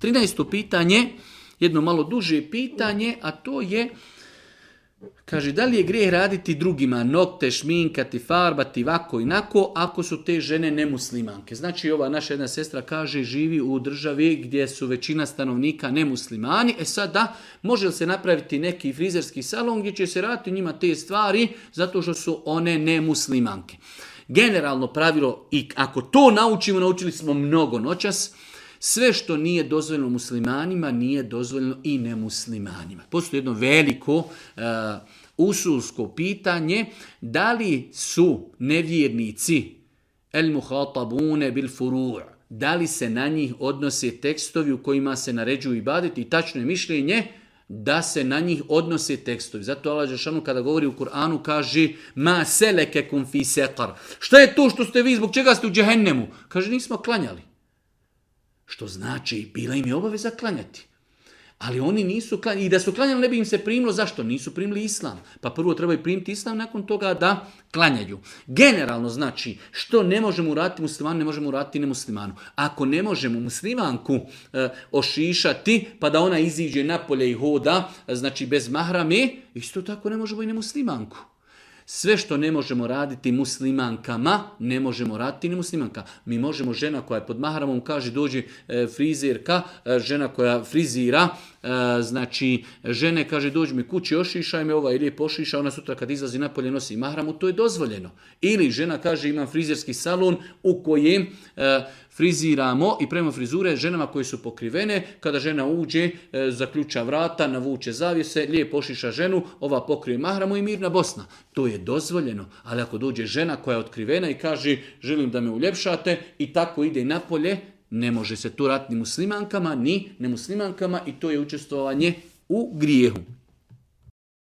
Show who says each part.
Speaker 1: 13. pitanje, jedno malo duže pitanje, a to je, kaže, da li je grijeh raditi drugima, nokte, šminkati, farbati, ovako i nako, ako su te žene nemuslimanke. Znači, ova naša jedna sestra kaže, živi u državi gdje su većina stanovnika nemuslimani. Sada, može li se napraviti neki frizerski salon gdje će se raditi njima te stvari zato što su one nemuslimanke? Generalno pravilo, i ako to naučimo, naučili smo mnogo noćas, sve što nije dozvoljeno muslimanima, nije dozvoljeno i nemuslimanima. Postoji jedno veliko usulsko pitanje, da li su nevjernici el muhatabune bil furu', da li se na njih odnose tekstovi u kojima se naređuju ibadeti, i tačno je mišljenje da se na njih odnose tekstovi. Zato Allah dželešanu kada govori u Kur'anu kaže ma selekekum fi seqar. Šta je to što ste vi, zbog čega ste u džehennemu? Kaže, nismo klanjali. Što znači, bila im je obaveza klanjati. Ali oni nisu klanjali. I da su klanjali, ne bi im se primilo. Zašto? Nisu primili islam. Pa prvo trebaju primiti islam, nakon toga da klanjaju. Generalno znači, što ne možemo uraditi muslimanu, ne možemo uraditi nemuslimanu. Ako ne možemo muslimanku ošišati, pa da ona iziđe napolje i hoda, znači bez mahrame, isto tako ne možemo i nemuslimanku. Sve što ne možemo raditi muslimankama, ne možemo raditi ni muslimanka. Mi možemo, žena koja je pod mahramom, kaže dođe frizerka, žena koja frizira, znači žene kaže dođi mi kući, ošišaj me, ova ili je pošiša, ona sutra kad izlazi napolje nosi mahramu, to je dozvoljeno. Ili žena kaže imam frizerski salon u kojem friziramo i prema frizure ženama koje su pokrivene, kada žena uđe, zaključa vrata, navuče zavjese, lijepo ošiša ženu, ova pokrije mahramu i mirna Bosna. To je dozvoljeno, ali ako dođe žena koja je otkrivena i kaže želim da me uljepšate i tako ide napolje, ne može se to raditi ni muslimankama, ni nemuslimankama i to je učestvovanje u grijehu.